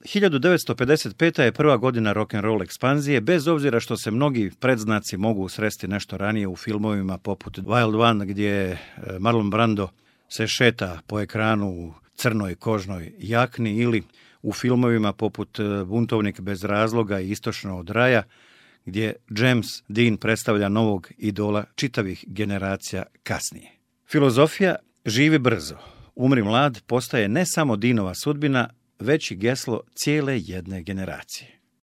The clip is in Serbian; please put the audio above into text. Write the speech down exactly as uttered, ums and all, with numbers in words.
hiljadu devetsto pedeset peta. je prva godina rock'n'roll ekspanzije, bez obzira što se mnogi predznaci mogu sresti nešto ranije u filmovima poput Wild One, gdje Marlon Brando se šeta po ekranu u crnoj kožnoj jakni, ili u filmovima poput Buntovnik bez razloga i Istočno od raja, gdje James Dean predstavlja novog idola čitavih generacija kasnije. Filozofija živi brzo, umri mlad postaje ne samo Deanova sudbina, već i geslo cijele jedne generacije.